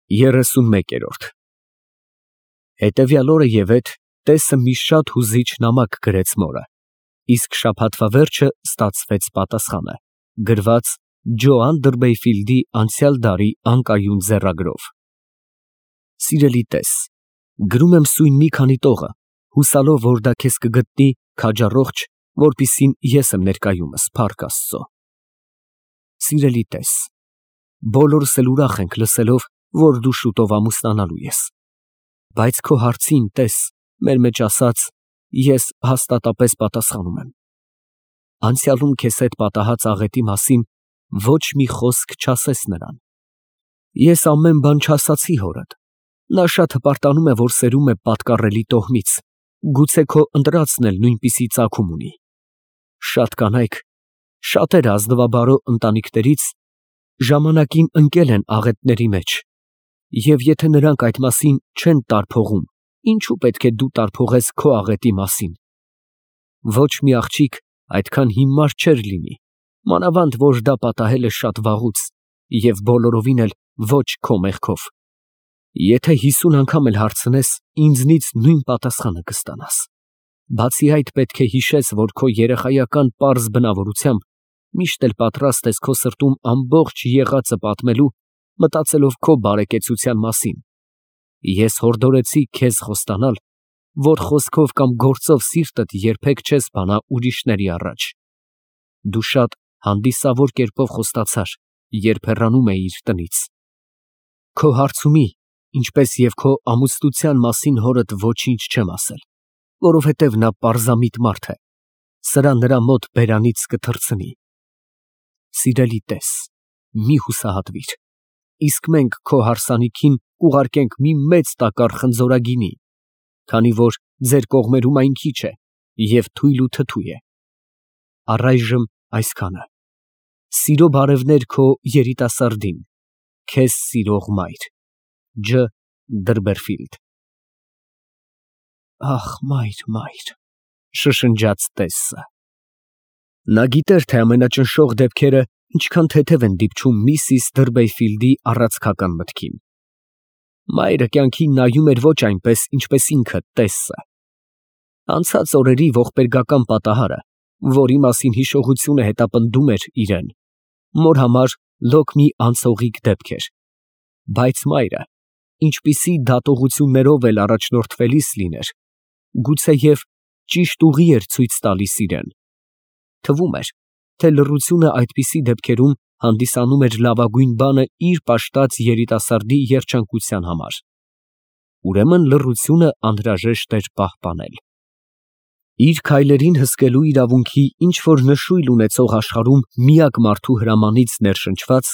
31-րդ Հետևյալ օրը ևեթ տեսը մի շատ հուզիչ նամակ գրեց մորը, իսկ շաբաթվա վերջը ստացվեց պատասխանը, գրված Ջո Անդերբեյֆիլդի անցյալ դարի անկայուն ձեռագրով։ Սիրելի տես, գրում եմ սույն մի քանի տողը, հուսալով, որ դա քեզ կգտնի քաջառողջ, որպիսին ես եմ ներկայումս, փառք Աստծո։ Սիրելի տես, բոլորս էլ ուրախ ենք լսելով, որ դու շուտով ամուսնանալու ես, բայց քո հարցին, տես, մեր մեջ ասած, ես հաստատապես պատասխանում եմ։ Անցյալում քեզ հետ պատահած աղետի մասին ոչ մի խոսք չասես նրան։ Ես ամեն բան չասացի հորդ, նա շատ հպարտանում է, որ սերում է պատկառելի տոհմից, գուցե քո ընտրածն էլ նույնպիսի ծագում ունի։ Շատ կանայք, շատեր ազնվաբարո ընտանիքներից ժամանակին ընկել են աղետների մեջ, և եթե նրանք այդ մասին չեն տարփողում, ինչու պետք է դու տարփողես քո աղետի մասին։ Ոչ մի աղջիկ այդքան հիմար չէր լինի, մանավանդ որ դա պատահել է շատ վաղուց և բոլորովին էլ ոչ քո մեղքով։ Եթե 50 անգամ էլ հարցնես, ինձնից նույն պատասխանը կստանաս։ Բացի այդ, պետք է հիշես, որ քո երեխայական պարզ բնավորությամբ միշտ էլ պատրաստ ես քո սրտում ամբողջ եղածը պատմելու, մտածելով քո բարեկեցության մասին։ Ես հորդորեցի քեզ խոստանալ, որ խոսքով կամ գործով սիրտդ երբեք չես բանա ուրիշների առաջ։ Դու շատ հանդիսավոր կերպով խոստացար, երբ հեռանում էիր տնից։ Քո հարցումի, ինչպես և քո ամուսնության մասին հորդ ոչինչ չեմ ասել, որովհետև նա պարզամիտ մարդ է, սրա նրա մոտ բերանից կթռցնի։ Սիրելի տես, մի հուսահատվիր, իսկ մենք քո հարսանիքին կուղարկենք մի մեծ տակառ խնձորագինի, քանի որ ձեր կողմերում այն քիչ է և թույլ ու թթու է։ Առայժմ այսքանը։ Սիրո բարևներ քո երիտասարդին, քեզ սիրող մայր, Ջ. Դրբերֆիլդ։ Ախ, մայր, շշնջաց տեսը։ Նա գիտեր, թե ամենաճնշող դեպքերը ինչքան թեթև են դիպչում միսիս Դրբեյֆիլդի առածքական մտքին։ Մայրը կյանքին նայում էր ոչ այնպես, ինչպես ինքը տեսը։ Անցած օրերի ողբերգական պատահարը, որի մասին հիշողությունը հետապնդում էր իրեն, մոր համար լոկ մի անցողիկ դեպք էր, բայց մայրը, ինչպիսի դատողություններով էլ առաջնորդվելիս լիներ, գուցեև ճիշտ ուղի էր ցույց տալիս իրեն։ Թվում էր, թե լռությունը այդպիսի դեպքերում հանդիսանում էր լավագույն բանը իր պաշտած երիտասարդի երջանկության համար։ Ուրեմն լռությունը անհրաժեշտ էր պահպանել։ Իր քայլերին հսկելու իրավունքի ինչ-որ նշույլ ունեցող աշխարհում միակ մարդու հրամանից ներշնչված,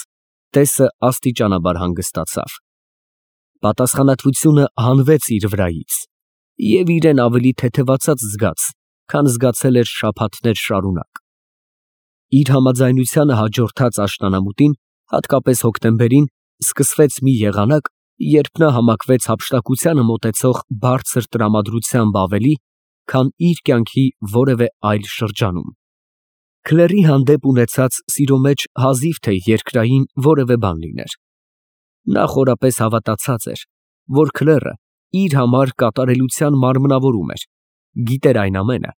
տեսը աստիճանաբար հանգստացավ։ Պատասխանատվությունը հանվեց իր վրայից, և իրեն ավելի թեթևացած զգաց, քան զգացել էր շաբաթներ շարունակ։ Իր համաձայնությանը հաջորդած աշնանամուտին, հատկապես հոկտեմբերին, սկսվեց մի եղանակ, երբ նա համակվեց հափշտակությանը մոտեցող բարձր տրամադրությամբ ավելի, քան իր կյանքի որևէ այլ շրջանում։ Քլերի հանդեպ ունեցած սիրո մեջ հազիվ թե երկրային որևէ բան լիներ։ Նա խորապես հավատացած էր, որ Քլերը իր համար կատարելության մարմնավորում էր, գիտեր այն ամենը,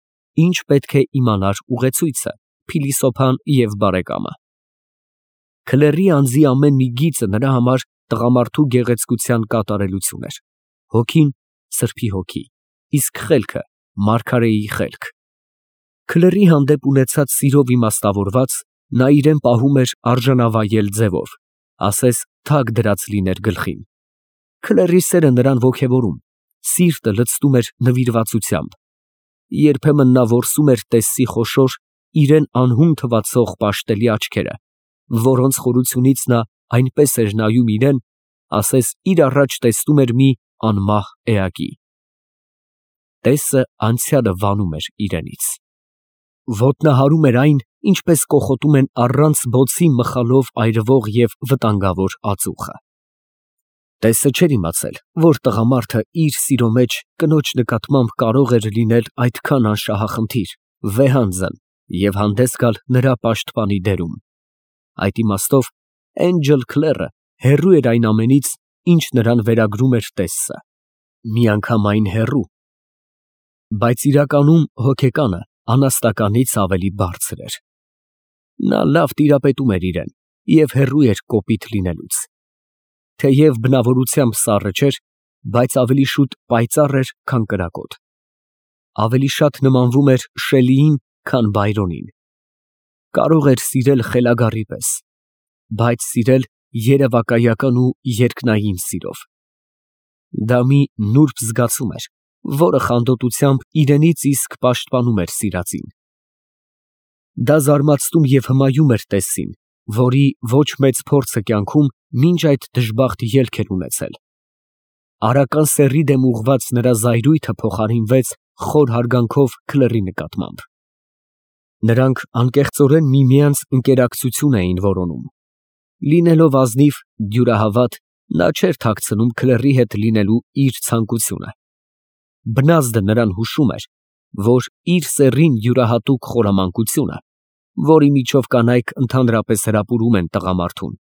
ինչ պետք է իմանար ուղեցույցը, փիլիսոփան և բարեկամը։ Քլերի անձի ամեն մի գիծը նրա համար տղամարդու գեղեցկության կատարելություն էր։ Հոգին սրբի հոգի, իսկ խելքը մարգարեի խելք։ Քլերի հանդեպ ունեցած սիրով իմաստավորված, նա իրեն պահում էր արժանավայել ձևով, ասես թագ դրած լիներ գլխին։ Քլերի սերը նրան ոգևորում, սիրտը լցնում էր նվիրվածությամբ։ Երբեմն նա որսում էր տեսի խոշոր, իրեն անհուն թվացող պաշտելի աչքերը, որոնց խորությունից նա այնպես էր նայում իրեն, ասես իր առաջ տեսնում էր մի անմահ էակի։ Տեսը անցյալը վանում էր իրենից։ Ոտնահարում էր այն, ինչպես կոխոտում են առանց բոցի մխալով այրվող և վտանգավոր ածուխը։ Տեսը չէր իմացել, որ տղամարդը իր սիրո մեջ կնոջ նկատմամբ կարող էր լինել այդքան անշահախնդիր, վեհանձն և հանդես գալ նրա պաշտպանի դերում։ Այդ իմաստով Էնջել Քլերը հեռու էր այն ամենից, ինչ նրան վերագրում էր տեսը, միանգամայն հեռու, բայց իրականում հոգեկանը անաստականից ավելի բարձր էր։ Նա լավ տիրապետում էր իրեն և հեռու էր կոպիտ լինելուց։ Թեև բնավորությամբ սառը չէր, բայց ավելի շուտ պայծառ էր, քան կրակոտ։ Ավելի շատ նմանվում էր Շելիին, քան Բայրոնին։ Կարող էր սիրել խելագարի պես, բայց սիրել երևակայական ու երկնային սիրով։ Դա մի նուրբ զգացում էր, որը խանդոտությամբ իրենից իսկ պաշտպանում էր սիրածին։ Դա զարմացնում և հմայում էր տեսին, որի ոչ մեծ փորձը կյանքում մինչ այդ դժբախտ ելք էր ունեցել։ Արական սեռի դեմ ուղղված նրա զայրույթը փոխարինվեց խոր հարգանքով Քլերի նկատմամբ։ Նրանք անկեղծորեն միմյանց ընկերակցություն էին որոնում։ Լինելով ազնիվ, դյուրահավատ, նա չէր թաքցնում Քլերի հետ լինելու իր ցանկությունը։ Բնազդը նրան հուշում էր, որ իր սեռին յուրահատուկ խորամանկությունը, որի միջով կանայք ընդհանրապես հրապուրում են տղամարդուն,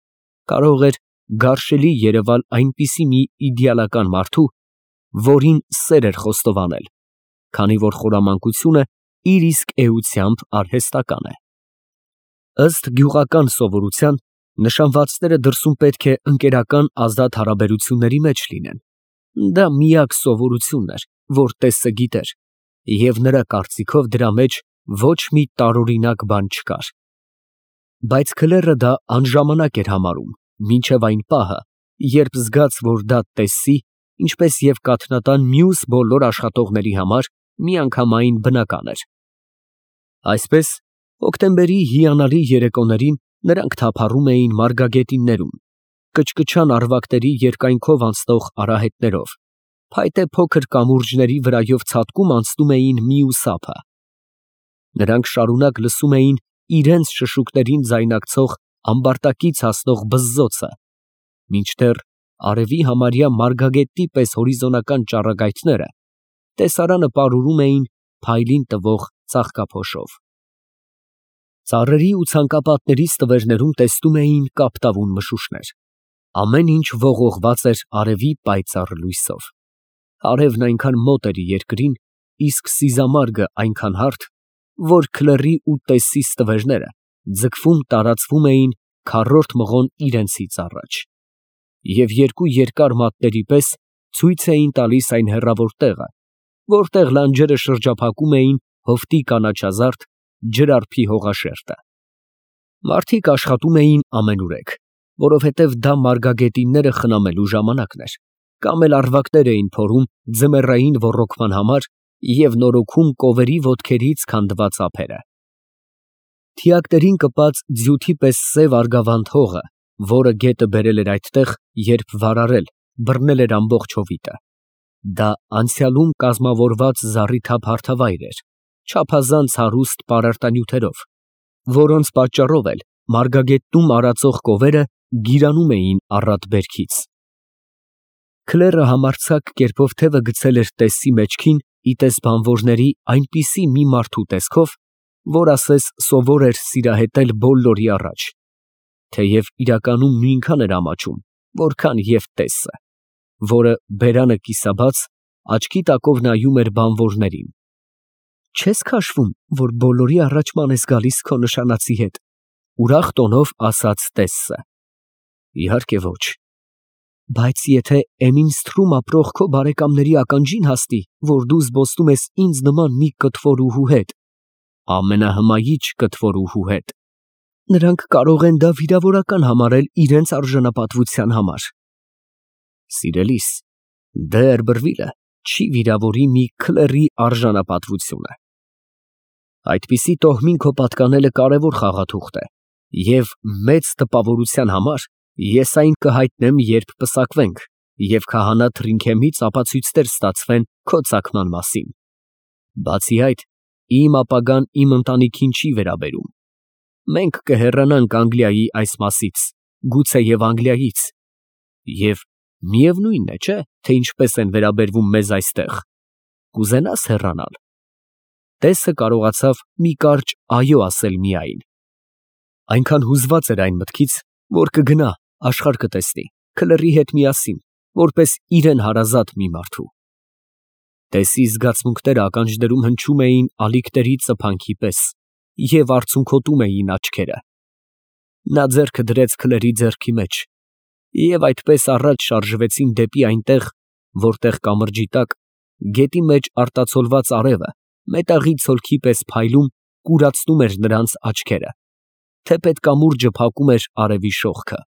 կարող էր գարշելի երևալ այնպիսի մի իդեալական մարդու, որին սեր էր խոստովանել, քանի որ խորամանկությունը իր իսկ էությամբ արհեստական է։ Ըստ գյուղական սովորության, նշանվածները դրսում պետք է ընկերական ազատ հարաբերությունների մեջ լինեն։ Դա միակ սովորությունն էր, որ տեսը գիտեր, և նրա կարծիքով դրա մեջ ոչ մի տարօրինակ բան չկար։ Բայց Քլերը դա անժամանակ էր համարում, մինչև այն պահը, երբ զգաց, որ դա տեսի, ինչպես և կաթնատան մյուս բոլոր աշխատողների համար միանգամայն բնական էր։ Այսպես, հոկտեմբերի հիանալի երեկոներին նրանք թափառում էին մարգագետիններում, կչկչան առվակների երկայնքով անցնող արահետներով, փայտե փոքր կամուրջների վրայով ցատկում անցնում էին մյուս ափը։ Նրանք շարունակ լսում էին իրենց շշուկներին ձայնակցող ամբարտակից հասնող բզզոցը, մինչդեռ արևի համարյա մարգագետի պես հորիզոնական ճառագայթները տեսարանը պարուրում էին փայլին տվող ծաղկափոշով։ Ծառերի ու ցանկապատների ստվերներում տեսնում էին կապտավուն մշուշներ։ Ամեն ինչ ողողված էր արևի պայծառ լույսով։ Արևն այնքան մոտ էր երկրին, իսկ սիզամարգը այնքան հարթ, որ Քլերի ու տեսի ստվերները ձգվում տարածվում էին քառորդ մղոն իրենցից առաջ, և երկու երկար մատների պես ցույց էին տալիս այն հեռավոր տեղը, որտեղ լանջերը շրջափակում էին հովտի կանաչազարդ ջրարփի հողաշերտը։ Մարդիկ աշխատում էին ամենուրեք, որովհետև դա մարգագետինները խնամելու ժամանակն էր, կամ էլ առվակներ էին փորում ձմեռային ոռոգման համար և նորոգում կովերի ոտքերից քանդված ափերը։ Թիակներին կպած ձյութի պես սև արգավանդ հողը, որը գետը բերել էր այդտեղ, երբ վարարել, բռնել էր ամբողջ հովիտը, դա անցյալում կազմավորված զառիթափ հարթավայր էր, չափազանց հարուստ պարարտանյութերով, որոնց պատճառով էլ մարգագետնում արածող կովերը գիրանում էին առատ բերքից։ Քլերը համարձակ կերպով թևը գցել էր տեսի մեջքին ի տես բանվորների այնպիսի մի մարդու տեսքով, որ ասես սովոր էր սիրահետել բոլորի առաջ, թեև իրականում նույնքան էր ամաչում, որքան և տեսը, որը բերանը կիսաբաց աչքի տակով նայում էր բանվորներին։ Չե՞ս քաշվում, որ բոլորի առաջ ման ես գալիս քո նշանածի հետ, ուրախ տոնով ասաց տեսը։ Իհարկե ոչ։ Բայց եթե Էմինսթրում ապրող քո բարեկամների ականջին հասնի, որ դու զբոսնում ես ինձ նման մի կտվորուհու հետ, ամենահմայիչ կտվորուհու հետ, նրանք կարող են դա վիրավորական համարել իրենց արժանապատվության համար։ Սիրելիս, Դերբրվիլը չի վիրավորի մի Քլերի արժանապատվությունը։ Այդպիսի տոհմին քո պատկանելը կարևոր խաղաթուղթ է, և մեծ տպավորության համար ես այն կհայտնեմ, երբ պսակվենք, և քահանա Թրինքեմից ապացույցներ ստացվեն քո ծագման մասին։ Բացի այդ, իմ ապագան իմ ընտանիքին չի վերաբերում։ Մենք կհեռանանք Անգլիայի այս մասից, գուցեև Անգլիայից, և միևնույն է, չէ՞, թե ինչպես են վերաբերվում մեզ այստեղ։ Կուզենա՞ս հեռանալ։ Տեսը կարողացավ մի կարճ այո ասել միայն։ Այնքան հուզված էր այն մտքից, որ կգնա, աշխարհ կտեսնի, Քլերի հետ միասին, որպես իրեն հարազատ մի մարդու։ Տեսի զգացմունքները ականջներում հնչում էին ալիքների ծփանքի պես և արցունքոտում էին աչքերը։ Նա ձեռքը դրեց քլերի ձեռքի մեջ և այդպես առաջ շարժվեցին դեպի այնտեղ, որտեղ կամրջի տակ, գետի մեջ արտացոլված արևը մետաղի ցոլքի պես փայլում կուրացնում էր նրանց աչքերը, թեպետ կամուրջը փակում էր արևի շողքը։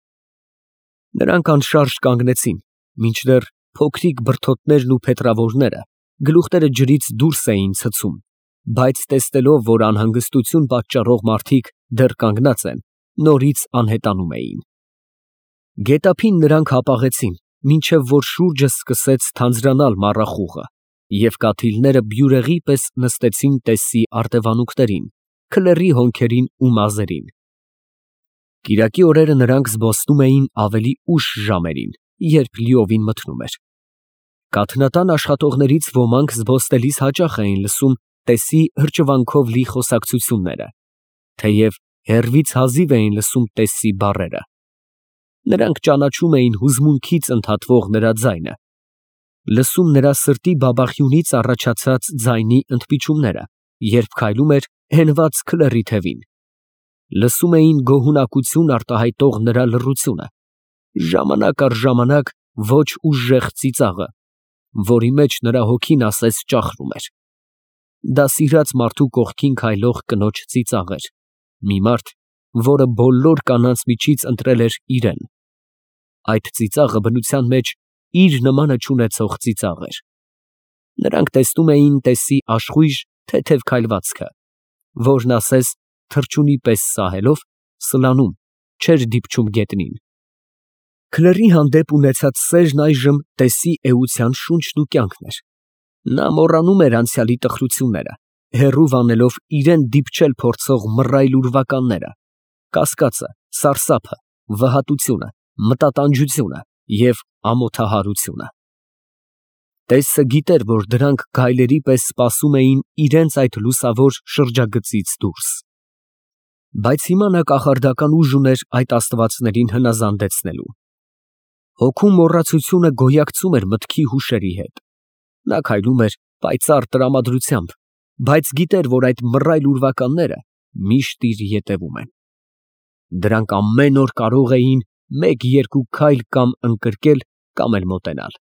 Նրանք անշարժ կանգնեցին, մինչդեռ փոքրիկ բրդոտներն ու փետրավորները գլուխները ջրից դուրս էին ցցում, բայց տեսնելով, որ անհանգստություն պատճառող մարդիկ դեռ կանգնած են, նորից անհետանում էին։ Գետափին նրանք հապաղեցին, մինչև որ շուրջը սկսեց թանձրանալ մառախուղը, և կաթիլները բյուրեղի պես նստեցին Տեսսի արտևանքներին, քլերի հոնքերին ու մազերին։ Կիրակի օրերը նրանք զբոսնում էին ավելի ուշ ժամերին, երբ լիովին մթնում էր։ Կաթնատան աշխատողներից ոմանք զբոսնելիս հաճախ էին լսում Տեսսի հրճվանքով լի խոսակցությունները, թեև հեռվից հազիվ էին լսում Տեսսի բառերը։ Նրանք ճանաչում էին հուզմունքից ընդհատվող նրա ձայնը, լսում նրա սրտի բաբախյունից առաջացած ձայնի ընդմիջումները, երբ քայլում էր հենված քլերի թևին, լսում էին գոհունակություն արտահայտող նրա լռությունը, ժամանակ առ ժամանակ ոչ ուժեղ ծիծաղը, որի մեջ նրա հոգին ասես ճախրում էր։ Դա սիրած մարդու կողքին քայլող կնոջ ծիծաղ էր, մի մարդ, որը բոլոր կանանց միջից ընտրել էր իրեն։ Այդ ծիծաղը բնության մեջ իր նմանը չունեցող ծիծաղ էր։ Նրանք տեսնում էին Տեսսի աշխույժ թեթև քայլվածքը, որն ասես թռչունի պես սահելով, սլանում, չէր դիպչում գետնին։ Քլերի հանդեպ ունեցած սերն այժմ Տեսսի էության շունչն ու կյանքն էր։ Նա մոռանում էր անցյալի տխրությունները, հեռու վանելով իրան դիպչել փորձող մռայլ ուրվականները, կասկածը, սարսափը, վհատությունը, մտատանջությունը և ամոթահարությունը։ Տեսսը գիտեր, որ դրանք գայլերի պես սպասում էին իրենց այդ լուսավոր շրջագծից դուրս։ Բայց հիմա նա կախարդական ուժ ուներ այդ աստվածներին հնազանդեցնելու։ Հոգու մոռացությունը գոյակցում էր մտքի հուշերի հետ։ Նա քայլում էր պայծառ տրամադրությամբ, բայց գիտեր, որ այդ մռայլ ուրվականները միշտ իր ետևում են։ Դրանք ամեն օր կարող էին մեկ֊երկու քայլ կամ ընկրկել, կամ էլ մոտենալ։